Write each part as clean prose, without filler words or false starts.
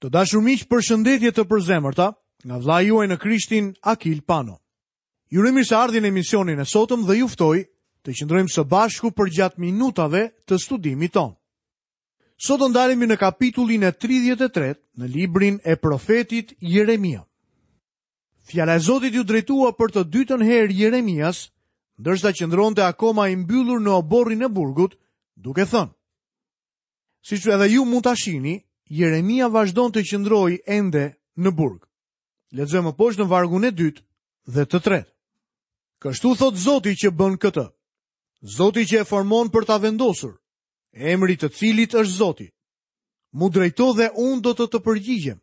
Të dashur miq, përshëndetje të përzemërta nga vëllai juaj në Krishtin Akil Pano. Ju uroj mirëseardhje në emisionin e sotëm dhe ju ftoj të qëndrojmë së bashku përgjatë minutave të studimit tonë. Sot do ndalemi në kapitullin e 33 në librin e profetit Jeremia. Fjala e Zotit iu drejtua për të dytën herë Jeremias, ndërsa qëndronte akoma i mbyllur në oborrin e burgut, duke thënë: Siç edhe ju mund ta shihni, Jeremia vazhdon të qëndrojë ende në burg. Lexojmë më poshtë në vargun e dytë dhe të tretë. Kështu thotë Zoti që bën këtë. Zoti që e formon për ta vendosur, emri i të cilit është Zoti. M'u drejto dhe unë do të të përgjigjem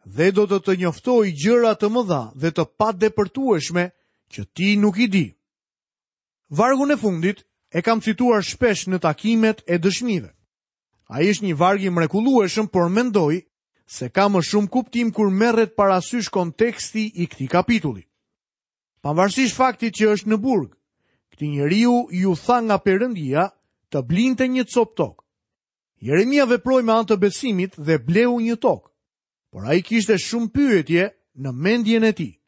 dhe do të të njoftoj gjëra të mëdha dhe të padepërtueshme që ti nuk i di. Vargun e fundit e kam cituar shpesh në takimet e dëshmive. Ai është një varg i mrekullueshëm, por mendoj se ka më shumë kuptim kur merret parasysh konteksti i këtij kapitulli. Pavarësisht faktit që është në burg, këtij njeriu iu tha nga Perëndia të blinte një copë tokë. Jeremia veproi me anë të besimit dhe bleu një tokë, por ai kishte shumë pyetje në mendjen e tij.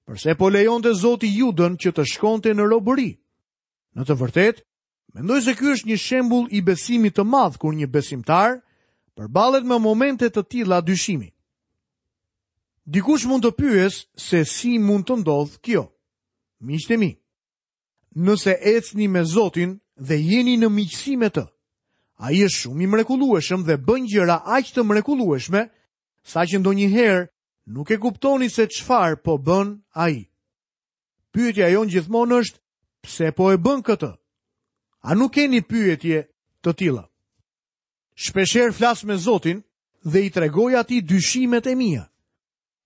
Përse po lejonte Zoti Judën që të shkonte në robëri? Në të vërtetë, mendoj se ky është një shembull i besimit të madh kur një besimtar përballet me momente të tilla dyshimi. Dikush mund të pyesë se si mund të ndodhë kjo. Miqtë e mi, nëse ecni me Zotin dhe jeni në miqësi me të, ai është shumë i mrekullueshëm dhe bën gjëra aq të mrekullueshme, saqë ndonjëherë Nuk e kuptoni se çfarë po bën ai. Pyetja jonë gjithmonë është pse po e bën këtë? A nuk keni pyetje të tilla? Shpeshherë flas me Zotin dhe i tregoj atij dyshimet e mia.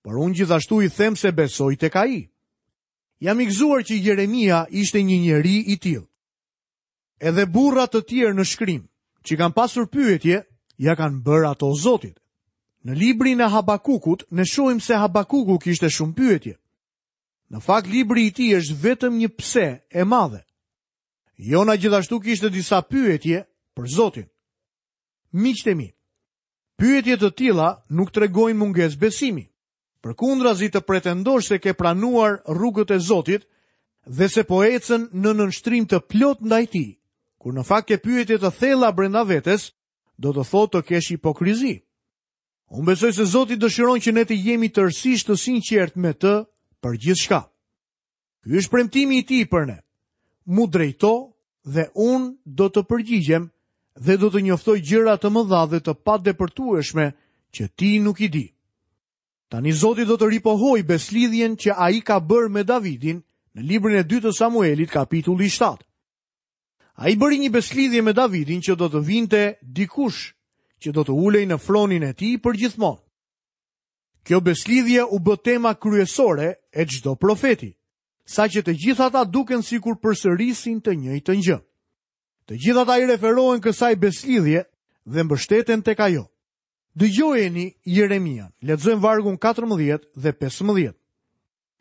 Por unë gjithashtu i them se besoj tek ai. Jam i gëzuar që Jeremia ishte një njeri i tillë. Edhe burra të tjerë në shkrim, që kanë pasur pyetje, ia kanë bërë ato Zotit. Në librin e Habakukut, ne shohim se Habakuku kishte shumë pyetje. Në fakt, libri i tij është vetëm një pse e madhe. Jona gjithashtu kishte disa pyetje për Zotin. Miqtë e mi, pyetje të tilla nuk tregojnë mungesë besimi. Përkundrazi të pretendosh se ke pranuar rrugët e Zotit dhe se po ecën në nënshtrim të plotë ndaj tij, kur në fakt ke pyetje të thella brenda vetes, do të thotë të kesh hipokrizi. Unë besoj se Zoti dëshiron që ne të jemi tërësisht të sinqertë me të për gjithçka. Ky është premtimi i tij për ne. M'u drejto dhe unë do të përgjigjem dhe do të njoftoj gjëra të mëdha dhe të padepërtueshme që ti nuk i di. Tani Zoti do të ripohojë besëlidhjen që ai ka bërë me Davidin në librin e dytë të Samuelit, kapitulli 7. Ai bëri një besëlidhje me Davidin që do të vinte dikush që do të ulej në fronin e tij përgjithmonë. Kjo besëlidhje u bë tema kryesore e çdo profeti, saqë të gjithë ata duken sikur përsërisin të njëjtën gjë. Të gjithë ata i referohen kësaj besëlidhje dhe mbështeten tek ajo. Dëgjojeni Jeremian, lexojmë vargun 14 dhe 15.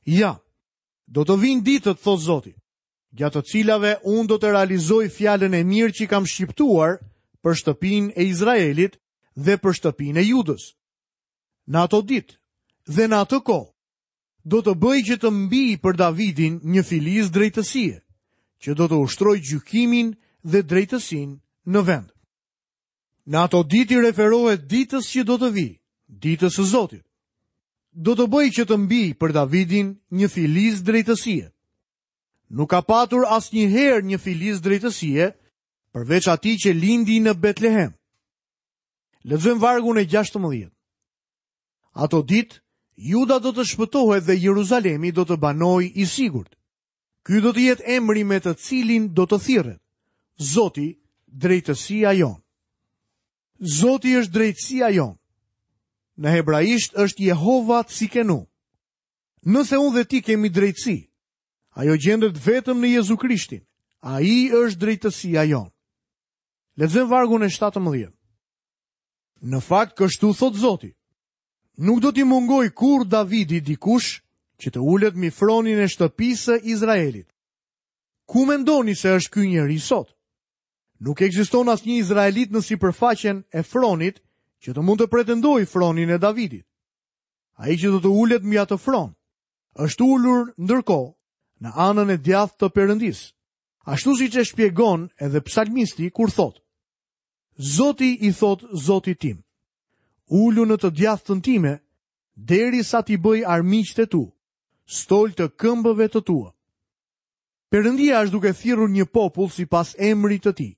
Ja, do të vijnë ditët, thotë Zoti, gjatë të cilave unë do të realizoj fjalën e mirë që kam shqiptuar për shtëpinë e Izraelit dhe për shtëpinë e Judës. Në ato ditë dhe në atë kohë, do të bëj që të mbijë për Davidin një filiz drejtësie, që do të ushtrojë gjykimin dhe drejtësinë në vend. Në ato ditë i referohet ditës që do të vijë, ditës së Zotit. Do të bëj që të mbijë për Davidin një filiz drejtësie. Nuk ka patur asnjëherë një filiz drejtësie, përveç atij që lindi në Betlehem. Lexojmë vargun e 16. Ato ditë, Juda do të shpëtohet dhe Jeruzalemi do të banojë i sigurt. Ky do të jetë emri me të cilin do të thirret. Zoti, drejtësia jonë. Zoti është drejtësia jonë. Në hebraisht është Jehova Tsikenu. Nëse unë dhe ti kemi drejtësi, ajo gjendet vetëm në Jezu Krishtin. Ai është drejtësia jonë. Lexojmë vargun e 17. Në fakt kështu thotë Zoti. Nuk do t'i mungojë kurrë Davidit dikush që të ulet mbi fronin e shtëpisë së Izraelit. Ku mendoni se është ky njeri sot? Nuk ekziston asnjë izraelit në sipërfaqen e fronit që të mund të pretendojë fronin e Davidit. Ai që do të ulet mbi atë fron, është ulur ndërkohë në anën e djathtë të Perëndisë, ashtu siç e shpjegon edhe psalmisti kur thotë: Zoti i thotë Zotit tim, ulu në të djathtën time derisa t'i bëj armiqtë e tu, stol të këmbëve të tua. Perëndia është duke thirrur një popull sipas emrit të tij.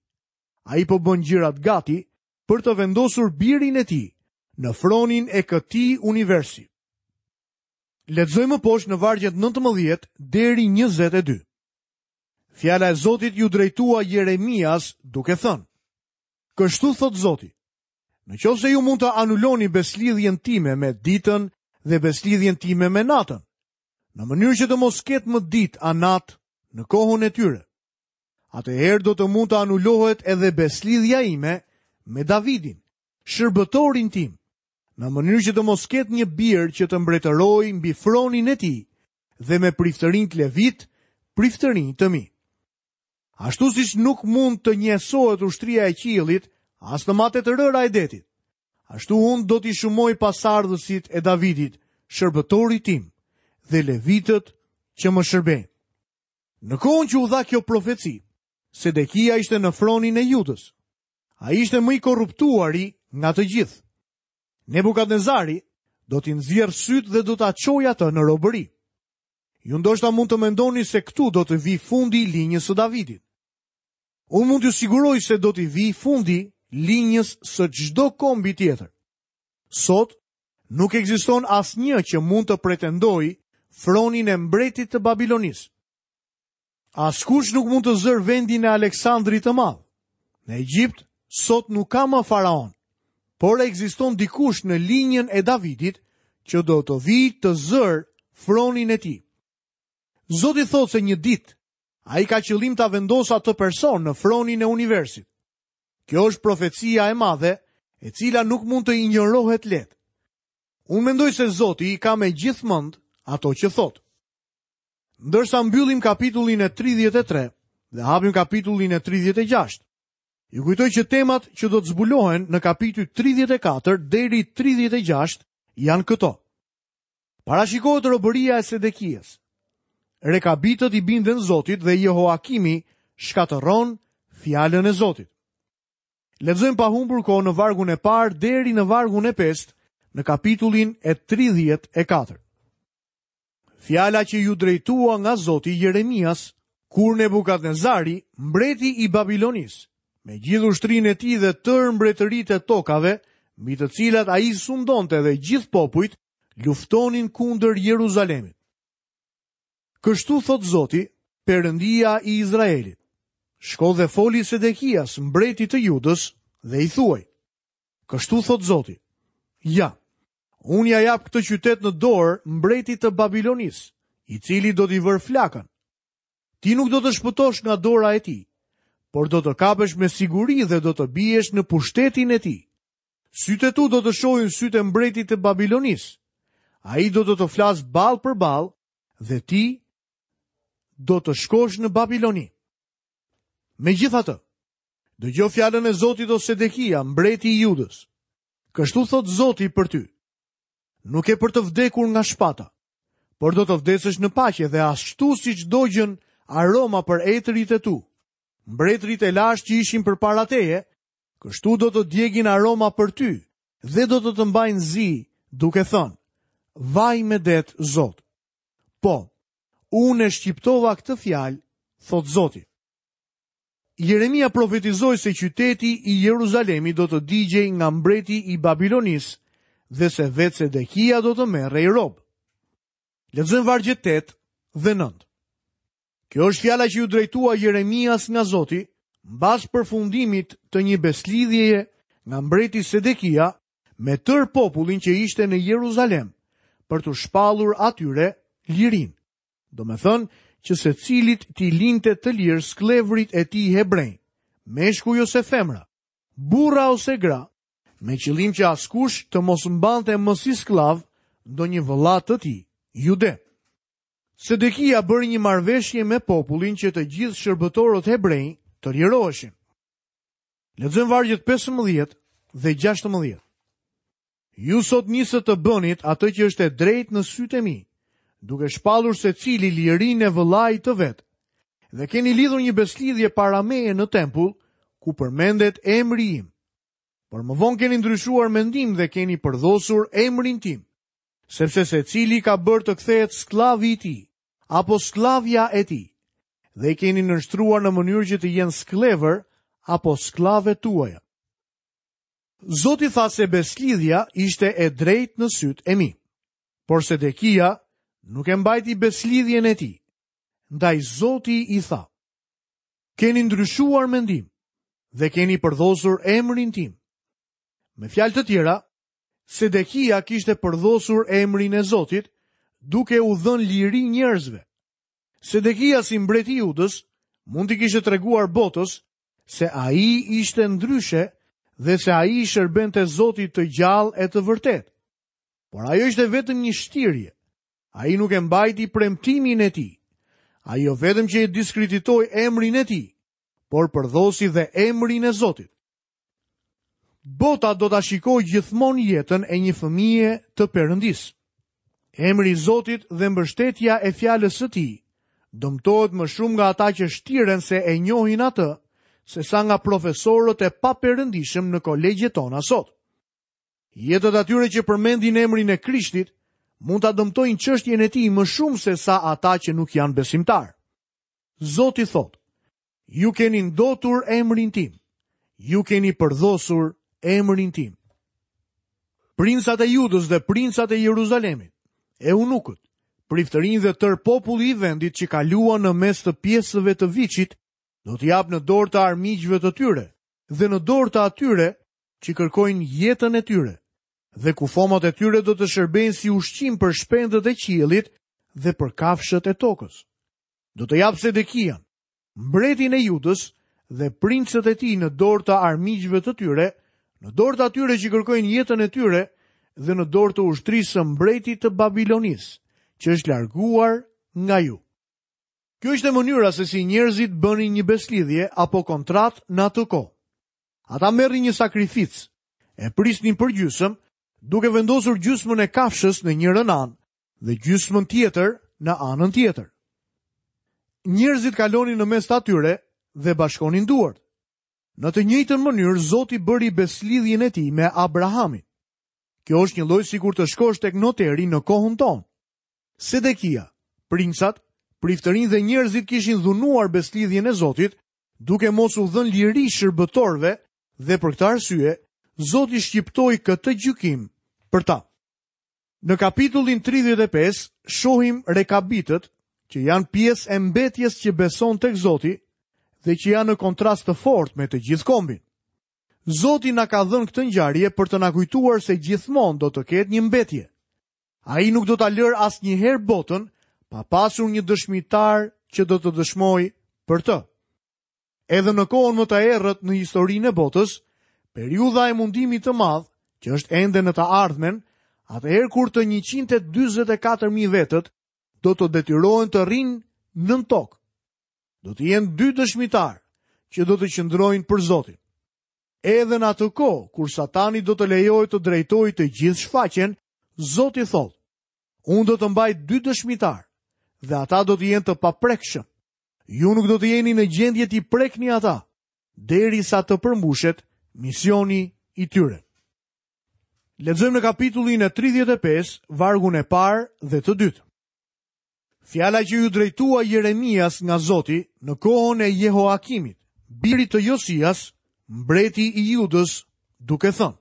Ai po bën gjërat gati për të vendosur birin e tij në fronin e këtij universi. Lexojmë më poshtë në vargjet 19 deri 22. Fjala e Zotit iu drejtua Jeremias duke thënë: Kështu thotë Zoti: Në qoftë se ju mund të anuloni besëlidhjen time me ditën dhe besëlidhjen time me natën, në mënyrë që të mos ketë më ditë a natë në kohën e tyre, atëherë do të mund të anulohet edhe besëlidhja ime me Davidin, shërbëtorin tim, në mënyrë që të mos ketë një bir që të mbretërojë mbi fronin e tij dhe me priftërinjtë levitë, priftërinj të mi. Ashtu siç nuk mund të njësohet ushtria e qiellit, as të matet rëra e detit. Ashtu unë do t'i shumoj pasardhësit e Davidit, shërbëtorit tim, dhe levitët që më shërbejnë. Në kohën që u dha kjo profeci, Sedekia ishte në fronin e Judës. Ai ishte më i korruptuari nga të gjithë. Nebukadnezari do t'i nxjerrë sytë dhe do ta çojë atë në robëri. Ju ndoshta mund të mendoni se këtu do të vijë fundi i linjës së Davidit. Unë mund t'ju siguroj se do t'i vijë fundi linjës së çdo kombi tjetër. Sot nuk ekziston asnjë që mund të pretendojë fronin e mbretit të Babilonisë. Askush nuk mund të zërë vendin e Aleksandrit të Madh. Në Egjipt sot nuk ka më faraon, por ekziston dikush në linjën e Davidit që do të vijë të zërë fronin e tij. Zoti thotë se një ditë ai ka qëllim ta vendosë atë person në fronin e universit. Kjo është profecia e madhe, e cila nuk mund të injorohet lehtë. Unë mendoj se Zoti i ka me gjithë mend ato që thotë. Ndërsa mbyllim kapitullin e 33 dhe hapim kapitullin e 36. Ju kujtoj që temat që do të zbulohen në kapitujt 34 deri 36 janë këto. Parashikohet robëria e Sedekias. Rekabitët i binden Zotit dhe Jehoakimi shkatërron fjalën e Zotit. Lexojmë pa humbur kohë në vargun e parë deri në vargun e pestë në kapitullin e 34. Fjala që iu drejtua nga Zoti Jeremias, kur Nebukadnezari, mbreti i Babilonisë, me gjithë ushtrinë e tij dhe tërë mbretëritë e tokave, mbi të cilat ai sundonte dhe gjithë popujt, luftonin kundër Jeruzalemit. Kështu thotë Zoti, Perëndia i Izraelit. Shko dhe foli Sedekias, mbretit të Judës, dhe i thuaj. Kështu thotë Zoti. Ja, Unë ia jap këtë qytet në dorë mbretit të Babilonisë, i cili do t'i vërë flakën. Ti nuk do të shpëtosh nga dora e tij, por do të kapesh me siguri dhe do të biesh në pushtetin e tij. Sytë e tu do të shohin sytë e mbretit të Babilonisë. Ai do të të flasë ballë për ballë dhe ti do të shkosh në Babiloni. Megjithatë, dëgjo fjalën e Zotit o Sedekia, mbreti i Judës. Kështu thotë Zoti për ty. Nuk ke për të vdekur nga shpata, por do të vdesësh në paqe dhe ashtu siç dogjën aroma për etërit e tu. Mbretërit e lashtë që ishin përpara teje, kështu do të djegin aroma për ty dhe do të të mbajnë zi, duke thënë, vaj medet Zot. Po, unë e shqiptova këtë fjalë, thotë Zoti. Jeremia profetizoi se qyteti i Jeruzalemit do të digjej nga mbreti i Babilonisë dhe se vetë Sedekia do të merrej rob. Lexojmë vargjet 8 dhe 9. Kjo është fjala që iu drejtua Jeremias nga Zoti, mbas përfundimit të një besëlidhjeje nga mbreti Sedekia me tërë popullin që ishte në Jeruzalem, për t'u shpallur atyre lirinë. Domethënë që secilit t'i linte të lirë skllevërit e tij hebrenj, meshkuj ose femra, burra ose gra, me qëllim që askush të mos mbante më si skllav ndonjë vëlla të tij, jude. Sedekia bëri një marrëveshje me popullin që të gjithë shërbëtorët hebrenj të liroheshin. Lexojmë vargjet 15 dhe 16. Ju sot nisët të bënit atë që është e drejtë në sytë e mi, duke shpallur secili lirinë e vëllait të vet. Dhe keni lidhur një besëlidhje para meje në tempull, ku përmendet emri im. Por më vonë keni ndryshuar mendim dhe keni përdhosur emrin tim, sepse secili ka bërë të kthehet skllavi i tij, apo skllavja e tij, dhe i keni nënshtruar në mënyrë që të jenë skllevër apo skllave tuaja. Zoti tha se besëlidhja ishte e drejtë në sytë e mi. Por Sedekia nuk e mbajti besëlidhjen e tij. Ndaj Zoti i tha: Keni ndryshuar mendim dhe keni përdhosur emrin tim. Me fjalë të tjera, Sedekia kishte përdhosur emrin e Zotit, duke u dhënë liri njerëzve. Sedekia si mbret i Judës mund t'i kishte treguar botës se ai ishte ndryshe dhe se ai i shërbente Zotit të gjallë e të vërtetë. Por ajo ishte vetëm një shtirje. Ai nuk e mbajti premtimin e tij. Ai jo vetëm që e diskreditoi emrin e tij, por përdhosi dhe emrin e Zotit. Bota do ta shikojë gjithmonë jetën e një fëmije të Perëndisë. Emri i Zotit dhe mbështetja e fjalës së tij dëmtohet më shumë nga ata që shtiren se e njohin atë, sesa nga profesorët e paperëndishëm në kolegjet tona sot. Jetët e atyre që përmendin emrin e Krishtit mund ta dëmtojnë çështjen e tij më shumë sesa ata që nuk janë besimtarë. Zoti thotë, Ju keni ndotur emrin tim. Ju keni përdhosur emrin tim. Princat e Judës dhe princat e Jeruzalemit, eunukët, priftërinjtë dhe tërë populli i vendit që kaluan në mes të pjesëve të viçit, do t'i jap në dorë të armiqve të tyre dhe në dorë të atyre që kërkojnë jetën e tyre, dhe kufomat e tyre do të shërbejnë si ushqim për shpendët e qiellit dhe për kafshët e tokës. Do të jap Sedekian, mbretin e Judës dhe princët e tij në dorë të armiqve të tyre, në dorë të atyre që kërkojnë jetën e tyre dhe në dorë të ushtrisë së mbretit të Babilonisë, që është larguar nga ju. Kjo ishte mënyra se si njerëzit bënin një besëlidhje apo kontratë në atë kohë. Ata merrnin një sakrificë, e prisnin përgjysmë, duke vendosur gjysmën e kafshës në njërën anë dhe gjysmën tjetër në anën tjetër. Njerëzit kalonin në mes të atyre dhe bashkonin duart. Në të njëjtën mënyrë Zoti bëri besëlidhjen e tij me Abrahamin. Kjo është njëlloj sikur të shkosh tek noteri në kohën tonë. Sedekia, princat, priftërinjtë dhe njerëzit kishin dhunuar besëlidhjen e Zotit, duke mos u dhënë liri shërbëtorëve dhe për këtë arsye Zoti shqiptoi këtë gjykim për ta. Në kapitullin 35 shohim rekabitët që janë pjesë e mbetjes që beson tek Zoti dhe që janë në kontrast të fortë me të gjithë kombin. Zoti na ka dhënë këtë ngjarje për të na kujtuar se gjithmonë do të ketë një mbetje. Ai nuk do ta lërë asnjëherë botën pa pasur një dëshmitar që do të dëshmojë për të. Edhe në kohën më të errët në historinë e botës, periudha e mundimit të madh, që është ende në të ardhmen, atëherë kur të 144.000 vetët do të detyrohen të rrinë nën tokë. Do të jenë dy dëshmitarë që do të qëndrojnë për Zotin. Edhe në atë kohë, kur Satani do të lejohet të drejtojë të gjithë shfaqjen, Zoti thotë, unë do të mbaj dy dëshmitarë dhe ata do të jenë të paprekshëm. Ju nuk do të jeni në gjendje t'i prekni ata, derisa të përmbushet misioni i tyre. Lexojmë në kapitullin e 35, vargun e parë dhe të dytë. Fjala që iu drejtua Jeremias nga Zoti në kohën e Jehoakimit, birit të Josias, mbreti i Judës, duke thënë: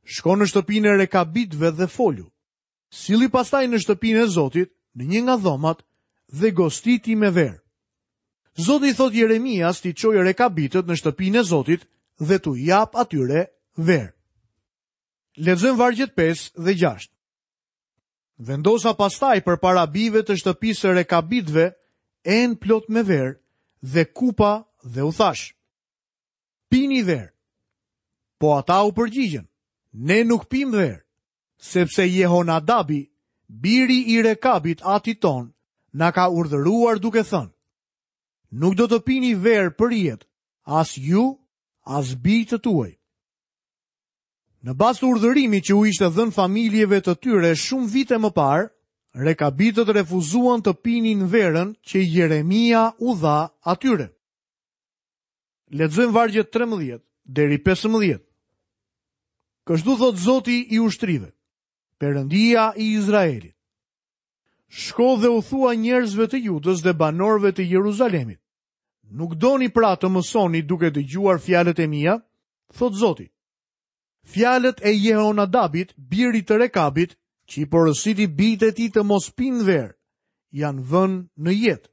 Shko në shtëpinë e Rekabitëve dhe folu. Silli pastaj në shtëpinë e Zotit, në një nga dhomat, dhe gostiti me verë. Zoti i thotë Jeremias t'i çojë rekabitët në shtëpinë e Zotit dhe t'u japë atyre verë. Lexojmë vargjet 5 dhe 6. Vendosa pastaj përpara bijve të shtëpisë së rekabitëve enë plot me verë dhe kupa dhe u thashë. Pini verë. Po ata u përgjigjën. Ne nuk pimë verë. sepse Jehonadabi, biri i Rekabit atit tonë, na ka urdhëruar duke thënë, nuk do të pini verë për jetë, as ju, as bijtë tuaj. Në bazë të urdhërimit që u ishte dhënë familjeve të tyre shumë vite më parë, rekabitët refuzuan të pinin verën që Jeremia u dha atyre. Lexojmë vargjet 13 deri 15. Kështu thotë Zoti i ushtrive, Perëndia i Izraelit. Shko dhe u thuaj njerëzve të Judës dhe banorëve të Jeruzalemit. Nuk doni pra të mësoni duke dëgjuar fjalët e mia? Thotë Zoti. Fjalët e Jehonadabit, birit të Rekabit, që i porositi bijtë e tij të mos pinë verë, janë vënë në jetë.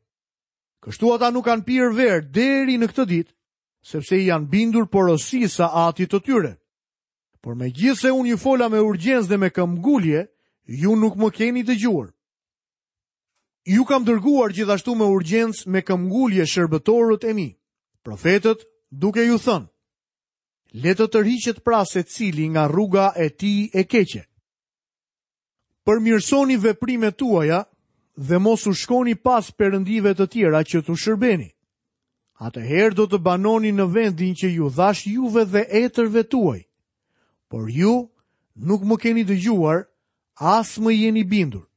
Kështu ata nuk kanë pirë verë deri në këtë ditë, sepse i janë bindur porosisë së atit të tyre. Por megjithëse unë ju fola me urgjencë dhe me këmbgulje, ju nuk më keni dëgjuar. Ju kam dërguar gjithashtu me urgjencë me këmbgulje shërbëtorët e mi, profetët, duke ju thënë, le të tërhiqet pra secili nga rruga e tij e keqe. Përmirësoni veprimet tuaja dhe mos u shkoni pas perëndive të tjera që t'u shërbeni. Atëherë do të banoni në vendin që ju dhashë juve dhe etërve tuaj. Por ju nuk më keni dëgjuar, as më jeni bindur.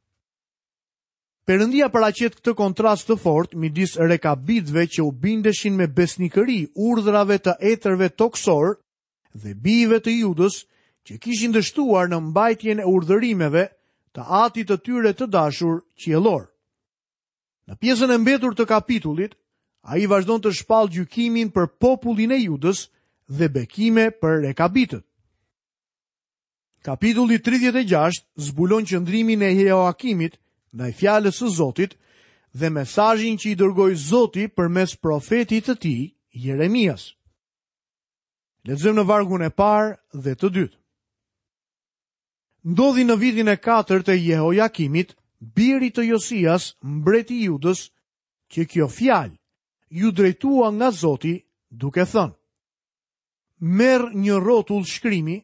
Perëndia paraqet këtë kontrast të fortë midis rekabitëve që u bindeshin me besnikëri urdhrave të etërve tokësorë dhe bijve të Judës që kishin dështuar në mbajtjen e urdhërimeve të atit të tyre të dashur qiellor. Në pjesën e mbetur të kapitullit, ai vazhdon të shpallë gjykimin për popullin e Judës dhe bekime për rekabitët. Kapitulli 36 zbulon qëndrimin e Jehoakimit ndaj fjalës së Zotit dhe mesazhin që i dërgoi Zoti përmes profetit të tij, Jeremias. Lexojmë në vargun e parë dhe të dytë. Ndodhi në vitin e katërt të Jehojakimit, birit të Josias, mbret i Judës, që kjo fjalë iu drejtua nga Zoti duke thënë: Merr një rrotull shkrimi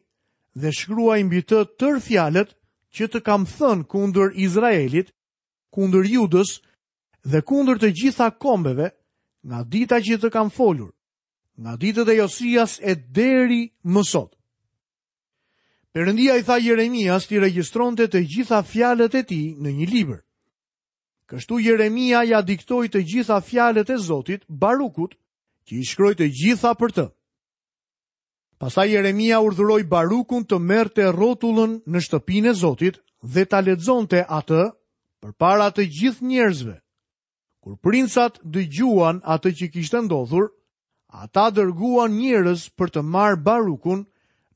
dhe shkruaj mbi të tërë fjalët që të kam thënë kundër Izraelit, kundër Judës dhe kundër të gjitha kombeve, nga dita që të kam folur, nga ditët e Josias e deri më sot. Perëndia i tha Jeremias t'i regjistronte të gjitha fjalët e tij në një libër. Kështu Jeremia ia diktoi të gjitha fjalët e Zotit Barukut, që i shkroi të gjitha për të. Pastaj Jeremia urdhëroi Barukun të merrte rrotullën në shtëpinë e Zotit dhe ta lexonte atë përpara të gjithë njerëzve. Kur princat dëgjuan atë që kishte ndodhur, ata dërguan njerëz për të marrë Barukun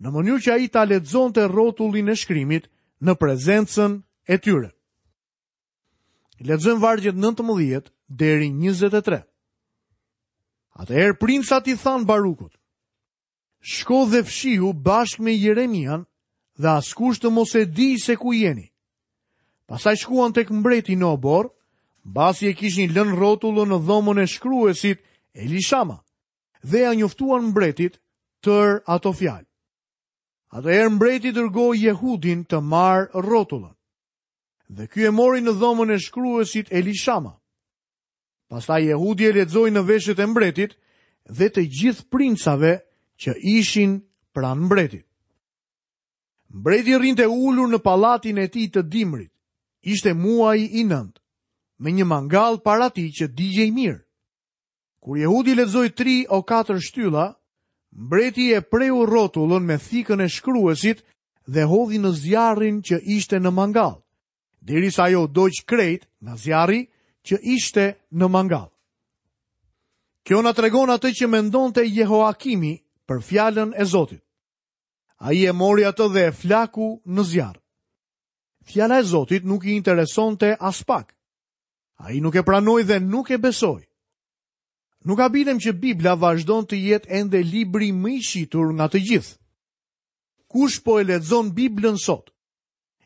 në mënyrë që ai ta lexonte rrotullin e shkrimit në prezencën e tyre. Lexojmë vargjet 19 deri 23. Atëherë princat i thanë Barukut: Shko dhe fshihu bashkë me Jeremian dhe askush të mos e dijë se ku jeni. Pastaj shkuan tek mbreti në oborr, mbasi e kishin lënë rrotullën në dhomën e shkruesit Elishama dhe ia njoftuan mbretit tërë ato fjalë. Atëherë mbreti dërgoi Jehudin të marrë rrotullën. Dhe ky e mori në dhomën e shkruesit Elishama. Pastaj Jehudi e lexoi në veshët e mbretit dhe të gjithë princave që ishin pranë mbretit. Mbreti rrinte ulur në pallatin e tij të dimrit. Ishte muaji i nëntë, me një mangall para tij që digjej mirë. Kur Jehudi lexoi tri o katër shtylla, mbreti e preu rrotullën me thikën e shkruesit dhe e hodhi në zjarrin që ishte në mangall, derisa ajo u dogj krejt nga zjarri që ishte në mangall. Kjo na tregon atë që mendonte Jehoakimi për fjalën e Zotit. Ai e mori atë dhe e flaku në zjarr. Fjala e Zotit nuk i interesonte aspak. Ai nuk e pranoi dhe nuk e besoi. Nuk habitem që Bibla vazhdon të jetë ende libri më i shitur nga të gjithë. Kush po e lexon Biblën sot?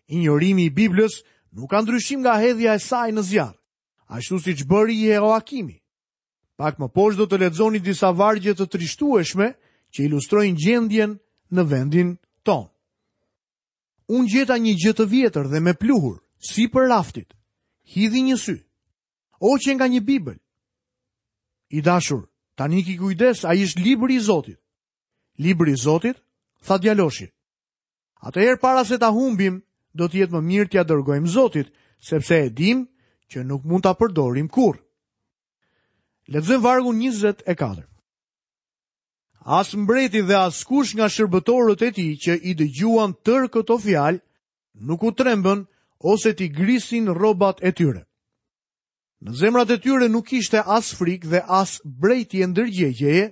Injorimi i Biblës nuk ka ndryshim nga hedhja e saj në zjarr, ashtu siç bëri Jehoakimi. Pak më poshtë do të lexoni disa vargje të trishtueshme që ilustrojnë gjendjen në vendin tonë. Unë gjeta një gjë të vjetër dhe me pluhur, sipër raftit. Hidhi një sy. O qenka një Bibël. I dashur, tani ki kujdes, ai është libri i Zotit. Libri i Zotit, tha djaloshi. Atëherë para se ta humbim, do të jetë më mirë t'ia dërgojmë Zotit, sepse e dimë që nuk mund ta përdorim kurrë. Lexojmë vargun 24. As mbreti dhe askush nga shërbëtorët e tij që i dëgjuan tërë këto fjalë, nuk u trembën ose t'i grisin rrobat e tyre. Në zemrat e tyre nuk kishte as frikë dhe as brejtje ndërgjegjeje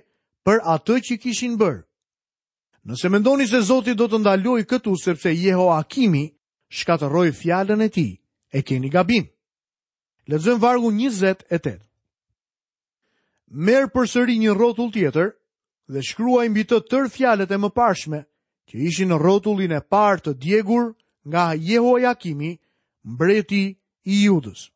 për atë që kishin bërë. Nëse mendoni se Zoti do të ndalojë këtu sepse Jehoakimi shkatërroi fjalën e tij, e keni gabim. Lexojmë vargun 28. Merr përsëri një rrotull tjetër dhe shkruaj mbi të tërë fjalët e mëparshme që ishin në rrotullin e parë të djegur nga Jehojakimi, mbreti i Judës.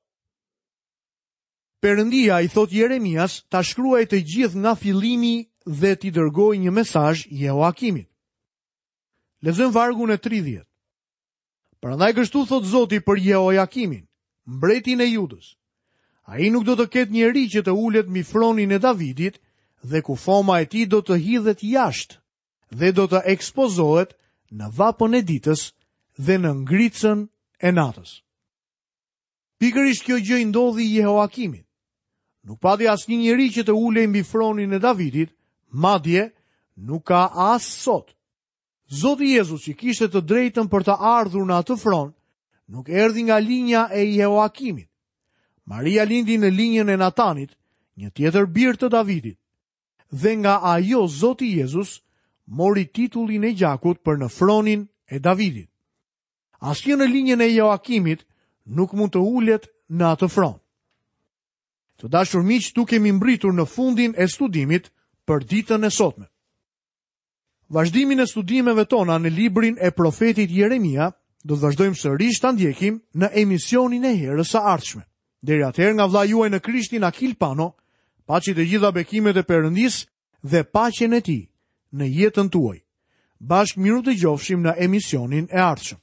Perëndia i thotë Jeremias ta shkruajë të gjithë nga fillimi dhe t'i dërgojë një mesazh Jehoakimit. Lexojmë vargun e 30. Prandaj kështu thotë Zoti për Jehojakimin, mbretin e Judës. Ai nuk do të ketë njeri që të ulet mbi fronin e Davidit dhe kufoma e tij do të hidhet jashtë dhe do të ekspozohet në vapën e ditës dhe në ngricën e natës. Pikërisht kjo gjë i ndodhi Jehoakimit. Nuk pati asnjë njeri që të ulej mbi fronin e Davidit, madje nuk ka as sot. Zoti Jezus që kishte të drejtën për të ardhur në atë fron, nuk erdhi nga linja e Jehoakimit. Maria lindi në linjën e Natanit, një tjetër bir të Davidit. Dhe nga ajo Zoti Jezus mori titullin e gjakut për në fronin e Davidit. Asnjë në linjën e Joakimit nuk mund të ulet në atë fron. Të dashur miq, këtu kemi mbërritur në fundin e studimit për ditën e sotme. Vazhdimin e studimeve tona në librin e profetit Jeremia do të vazhdojmë sërish ta ndjekim në emisionin e herës së ardhshme. Deri atëherë nga vëllai juaj në Krishtin Akil Pano, paçi të gjitha bekimet e Perëndisë dhe paqen e tij në jetën tuaj. Bashkë mirudëgjofshim në emisionin e ardhshëm.